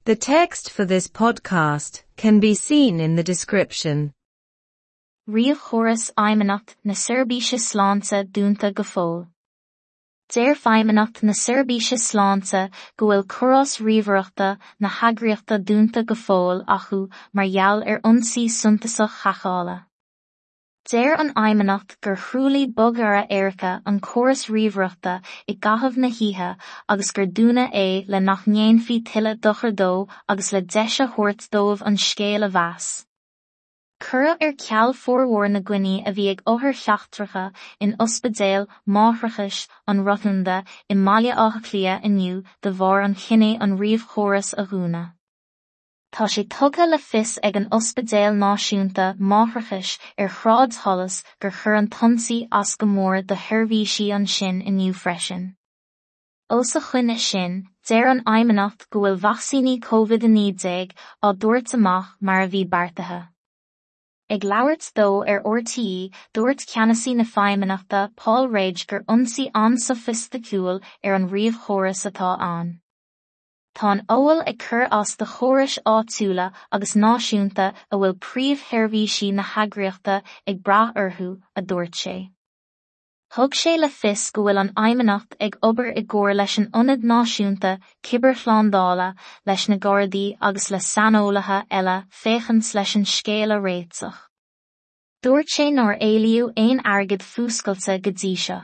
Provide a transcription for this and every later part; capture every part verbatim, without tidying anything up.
The text for this podcast can be seen in the description. Ríomhchóras Fheidhmeannacht na Seirbhíse Sláinte dúnta go fóill. Deir Feidhmeannacht na Seirbhíse Sláinte go bhfuil córas ríomhaireachta na heagraíochta dúnta go fóill acu mar gheall ar ionsaí suntasach haiceála. Deir an Fheidhmeannacht gur thruailligh bogearra éirice an córas ríomhaireachta i gcaitheamh na hoíche agus gur dúnadh é le nach ndéanfaí tuilleadh dochair dó agus le deis a thabhairt dóibh an scéal a mheas. Cuireadh ar ceal formhór na gcoinní a bhí ag othair sheachtracha in Ospidéal Máithreachais an Rotunda i mBaile Átha Cliath inniu de bharr an chinnidh an ríomhchóras a dhúnadh. Tá sé tugtha le fios ag an Ospidéal Náisiúnta Máithreachais ar Shráid Holles gur chuir an t-ionsaí as go mór do sheirbhísí ansin inniu freisin. Os a choinne sin, deir an Fheidhmeannacht go bhfuil vacsaíní Covid a naoi déag á dtabhairt amach mar a bhí beartaithe. Ag labhairt dó ar RTÉ, dúirt ceannasaí na Feidhmeannachta Paul Rage gur ionsaí an-sofaisticiúil ar an ríomhchóras atá ann. Tá an fheoil ag cur as do chórais áitiúla agus náisiúnta a bhfuil príomhsheirbhísí na heagraíochta ag brath orthu, a dúirt sé. Thug sé le fios go bhfuil an Fheidhmeannacht ag obair i gcomhar leis an Ionad Náisiúnta Cibearshlándála, leis na Gardaí agus le saineolaithe eile féachaint leis an scéal a réiteach. Dúirt sé nár éilíodh aon airgead fuascailte go dtí seo.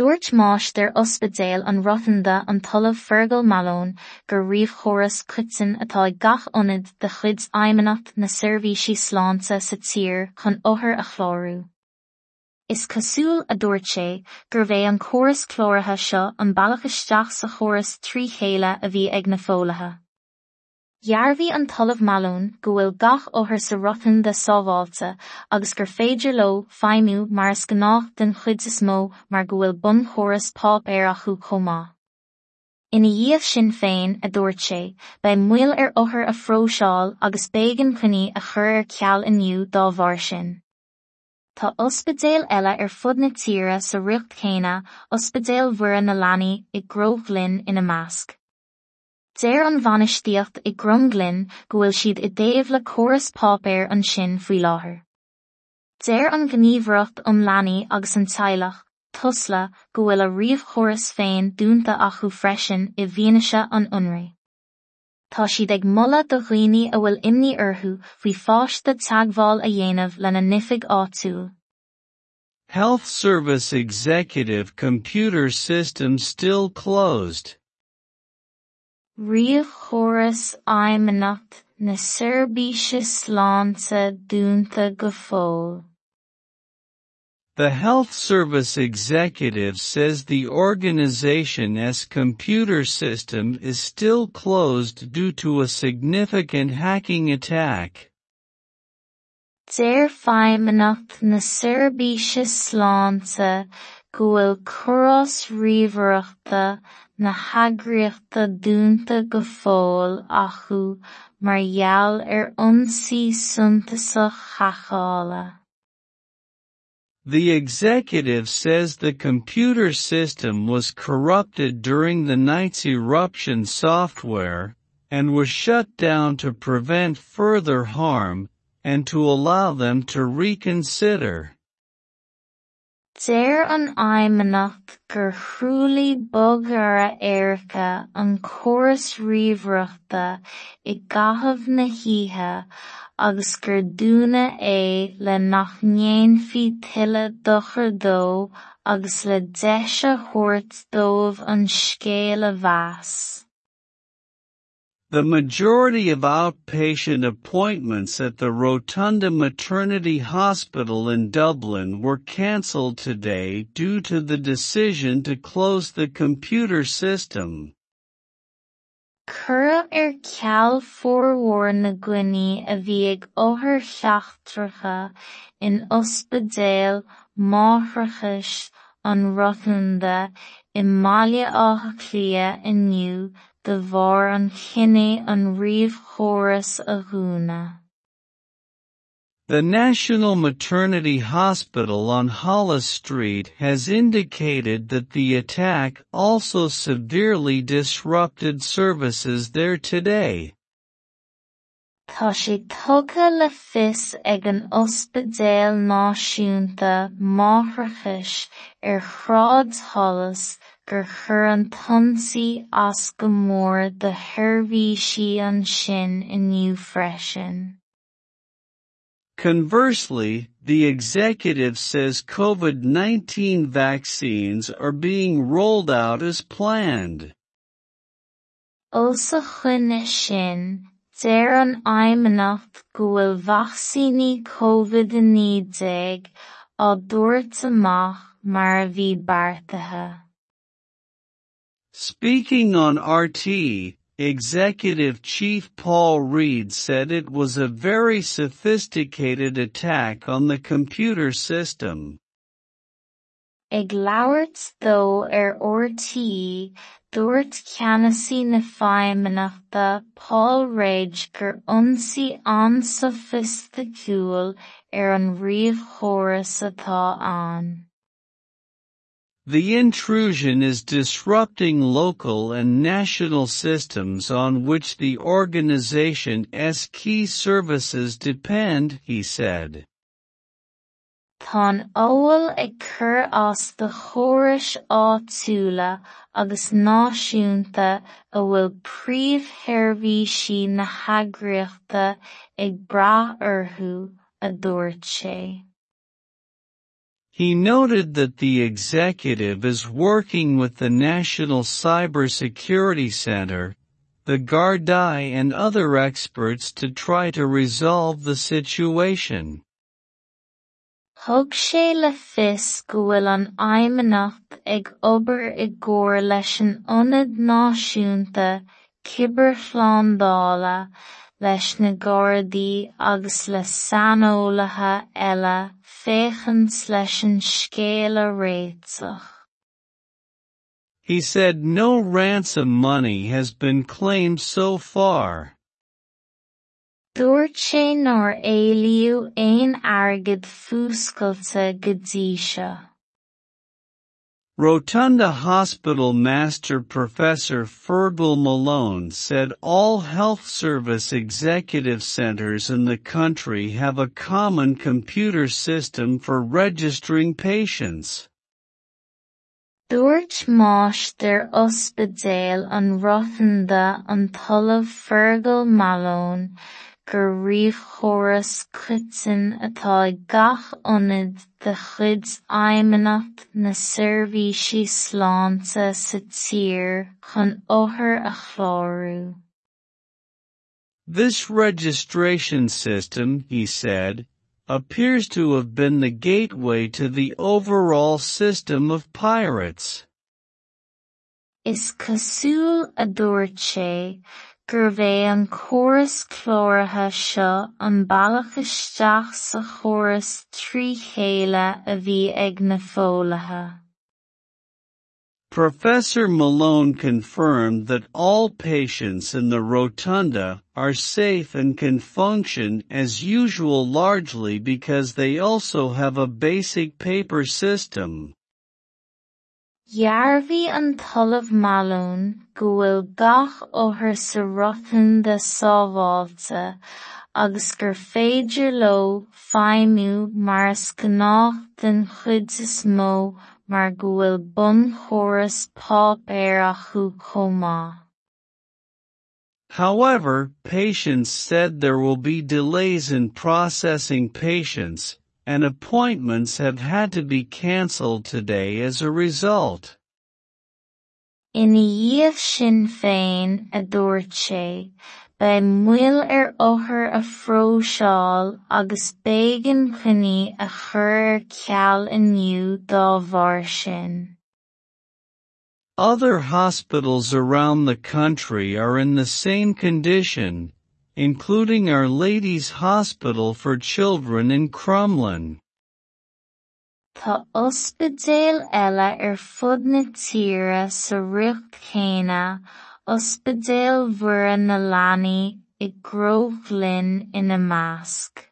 Dúirt máistir Ospidéal an Rotunda an tOllamh Fergal Malone gur ríomhchóras coiteann atá ag gach ionad de chuid Fheidhmeannacht na Seirbhísí Sláinte sa tír chun othair a chlárú. Is cosúil, a dúirt sé, gurbh é an córas cláraithe seo an bealach isteach sa chóras trí chéile a bhí ag na foghlaithe. Dhearbhaigh an tOllamh Malone go bhfuil gach othar sa Rotunda sábháilte agus gur féidir leo feidhmiú mar is gnách den chuid is mó mar go bhfuil bunchóras páipéir acu chomh maith. Ina dhiaidh sin féin, a dúirt sé, beidh moill ar othair a phróiseáil agus b'éigean coinní a chur ar ceal inniu dá bharr sin. Tá ospidéil eile ar fud na tíre sa riocht chéanna, Ospidéal Mhuire na Leanaí i gCromghlinn ina measc. Deir an bhainistíocht i gCromghlinn go bhfuil siad i dtaobh le córas páipéir ansin faoi láthair. Deir an Ghníomhaireacht um Leanaí agus an Teaghlach, Tusla, go bhfuil a ríomhchóras féin dúnta acu freisin i bhfianaise an ionraidh. Tá siad ag moladh do dhaoine a bhfuil imní orthu faoi pháiste teagmháil a dhéanamh lena n-oifig áitiúil. Health Service Executive computer system still closed. Ríomhchóras Fheidhmeannacht na Seirbhíse Sláinte dúnta go fóill. The Health Service Executive says the organization's computer system is still closed due to a significant hacking attack. Deir Feidhmeannacht na Seirbhíse Sláinte go bhfuil córas ríomhaireachta na heagraíochta dúnta go fóill acu mar gheall ar ionsaí suntasach haiceála. The executive says the computer system was corrupted during the night's eruption software, and was shut down to prevent further harm, and to allow them to reconsider. Deir an Fheidhmeannacht gur thruailligh bogearra éirice an córas ríomhaireachta i gcaitheamh na hoíche agus gur dúnadh é le nach ndéanfaí tuilleadh dochair dó agus le deis a thabhairt dóibh an scéal a mheas. The majority of outpatient appointments at the Rotunda Maternity Hospital in Dublin were cancelled today due to the decision to close the computer system. Cuireadh ar ceal formhór na gcoinní a bhí ag othair sheachtracha in Ospidéal Máithreachais an Rotunda i mBaile Átha Cliath inniu de bharr an chinnidh an ríomhchóras a dhúnadh. The National Maternity Hospital on Holles Street has indicated that the attack also severely disrupted services there today. Tá sé tugtha le fios ag an Ospidéal Náisiúnta Máithreachais ar Shráid Holles gur chuir an t-ionsaí as go mór do sheirbhísí ansin inniu freisin. Conversely, the executive says COVID nineteen vaccines are being rolled out as planned. Os a choinne sin, deir an Fheidhmeannacht go bhfuil vacsaíní COVID a naoi déag á dtabhairt amach mar a bhí beartaithe. Speaking on R T, Executive Chief Paul Reid said it was a very sophisticated attack on the computer system. Ag labhairt dó ar R T, dúirt ceannasaí na Feidhmeannachta Paul Reid gur ionsaí an-sofaisticiúil ar an ríomhchóras atá ann. The intrusion is disrupting local and national systems on which the organization's key services depend, he said. Tá an fheoil ag cur as do chórais áitiúla agus náisiúnta a bhfuil príomhsheirbhísí na heagraíochta ag brath orthu, a dúirt sé. He noted that the executive is working with the National Cybersecurity Center, the Gardaí and other experts to try to resolve the situation. Thug sé le fios go bhfuil an Fheidhmeannacht ag obair i gcomhar leis an Ionad Náisiúnta Cibearshlándála, leis na Gardaí agus le saineolaithe eile féachaint leis an scéal a réiteach. He said no ransom money has been claimed so far. Dúirt sé nár éilíodh aon airgead fuascailte go dtí seo. Rotunda Hospital Master Professor Fergal Malone said all health service executive centers in the country have a common computer system for registering patients. Dúirt Máistir Ospidéal an Rotunda an tOllamh Fergal Malone gur ríomhchóras coiteann atá ag gach ionad de chuid Fheidhmeannacht na Seirbhísí Sláinte sa tír chun othair a chlárú. This registration system, he said, appears to have been the gateway to the overall system of pirates. Is cosúil a dúirt sé gurbh é an córas cláraithe seo an bealach isteach sa chóras trí chéile a bhí ag na foghlaithe. Professor Malone confirmed that all patients in the Rotunda are safe and can function as usual largely because they also have a basic paper system. Dhearbhaigh an tOllamh Malone go bhfuil gach othar sa Rotunda sábháilte agus gur féidir leo feidhmiú mar is gnách den chuid is mó mar go bhfuil bunchóras páipéir acu chomh maith. However, patients said there will be delays in processing patients, and appointments have had to be cancelled today as a result. Ina dhiaidh sin féin, a dúirt sé, beidh moill ar othair a phróiseáil agus b'éigean coinní a chur ar ceal inniu dá bharr sin. Other hospitals around the country are in the same condition, including Our Lady's Hospital for Children in Crumlin. Tá ospidéal eile ar fud na tíre sa riocht chéanna, Ospidéal Mhuire na Leanaí i gCromghlinn ina measc.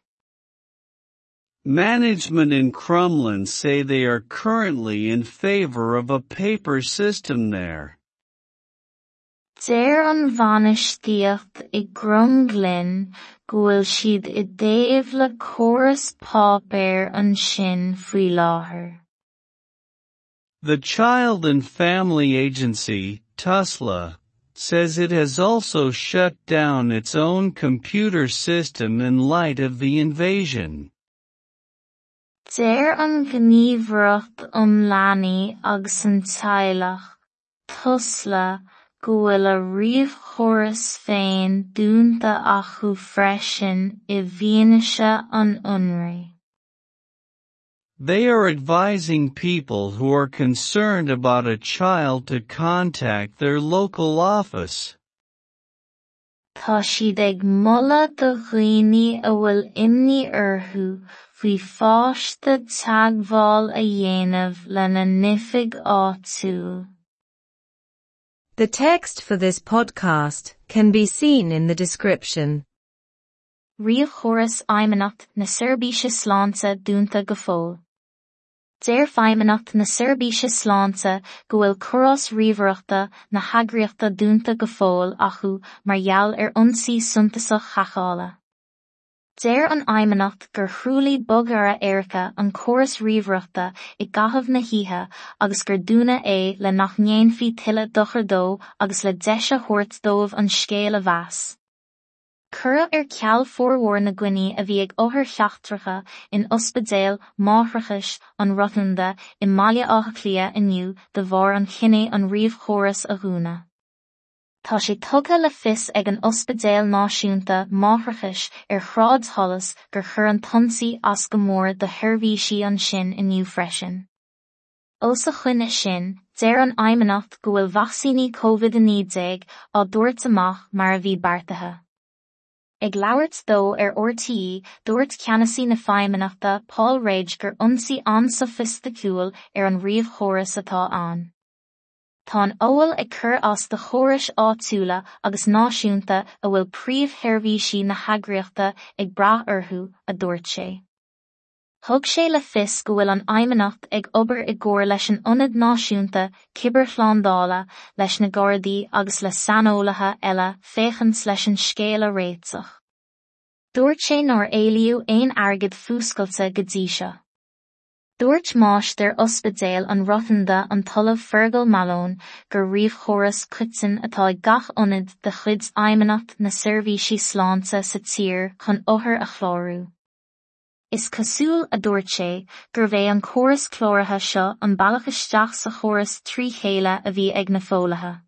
Management in Crumlin say they are currently in favor of a paper system there. Deir an bhainistíocht i gCromghlinn go bhfuil siad i dtaobh le córas páipéir ansin faoi láthair. The Child and Family Agency, Tusla, says it has also shut down its own computer system in light of the invasion. Deir an Ghníomhaireacht um Leanaí agus an Teaghlach, Tusla, go bhfuil a ríomhchóras féin dúnta acu freisin i bhfianaise an ionraidh. They are advising people who are concerned about a child to contact their local office. Tá siad ag moladh do dhaoine a bhfuil imní orthu faoi pháiste teagmháil a dhéanamh lena n-oifig áitiúil. The text for this podcast can be seen in the description. Ríomhchóras Fheidhmeannacht na Seirbhíse Sláinte dúnta go fóill. Deir Feidhmeannacht na Seirbhíse Sláinte go bhfuil córas ríomhaireachta na heagraíochta dúnta go fóill acu mar gheall ar ionsaí suntasach haiceála. Deir an Fheidhmeannacht gur thruailligh bogearra éirice an córas ríomhaireachta i gcaitheamh na hoíche agus gur dúnadh é le nach ndéanfaí tuilleadh dochair dó agus le deis a thabhairt dóibh an scéal a mheas. Cuireadh ar ceal formhór na gcoinní a bhí ag othair sheachtracha in ospidéal máithreachais an Rotunda i mBaile Átha Cliath inniu de bharr an chinnidh an ríomhchóras a dhúnadh. Tá sé tugtha le fios ag an Ospidéal Náisiúnta Máithreachais ar Shráid Holles gur chuir an t-ionsaí as go mór do sheirbhísí ansin inniu freisin. Os a choinne sin, deir an Fheidhmeannacht go bhfuil vacsaíní Covid a naoi déag á dtabhairt amach mar a bhí beartaithe. Ag labhairt dó ar RTÉ, dúirt ceannasaí na Feidhmeannachta Paul Rage gur ionsaí an-sofaisticiúil ar an ríomhchóras atá ann. Tá an fheoil ag cur as do chórais áitiúla agus náisiúnta a bhfuil príomhsheirbhísí na heagraíochta ag brath orthu, a dúirt sé. Thug sé le fios go bhfuil an Fheidhmeannacht ag obair i gcomhar leis an Ionad Náisiúnta Cibearshlándála, leis na Gardaí agus le saineolaithe eile féachaint leis an scéal a réiteach. Dúirt sé nár éilíodh aon airgead fuascailte go dtí seo. Dúirt máistir ospidéal an Rotunda an tOllamh Fergal Malone gur ríomhchóras coiteann atá ag gach ionad de chuid Fheidhmeannacht na Seirbhísí Sláinte sa tír chun othair a chlárú. Is cosúil, a dúirt sé, gurbh é an córas cláraithe seo an bealach isteach sa chóras trí chéile a bhí ag na foghlaithe.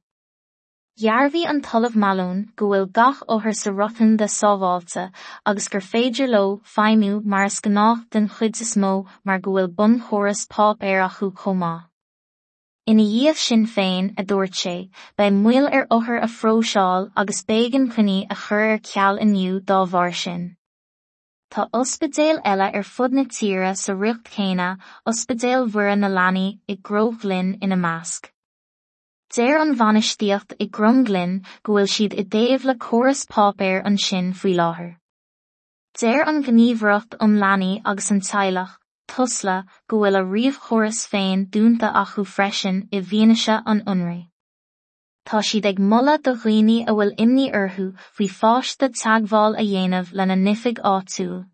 Dhearbhaigh an tOllamh Malone go bhfuil gach othar sa Rotunda sábháilte agus gur féidir leo feidhmiú mar is gnách den chuid is mó mar go bhfuil bunchóras páipéir acu chomh maith. Ina dhiaidh sin féin, a dúirt sé, beidh moill ar othair a phróiseáil agus b'éigean coinní a chur ar ceal inniu dá bharr sin. Tá ospidéil eile ar fud na tíre sa riocht chéanna, Ospidéal Mhuire na Leanaí i gCromghlinn ina measc. Deir an bhainistíocht i gCromghlinn go bhfuil siad i dtaobh le córas páipéir ansin faoi láthair. Deir an Ghníomhaireacht um Leanaí agus an Teaghlach, Tusla, go bhfuil a ríomhchóras féin dúnta acu freisin i bhfianaise an ionraidh. Tá siad ag moladh do dhaoine a bhfuil imní orthu faoi pháiste teagmháil a dhéanamh lena n-oifig áitiúil.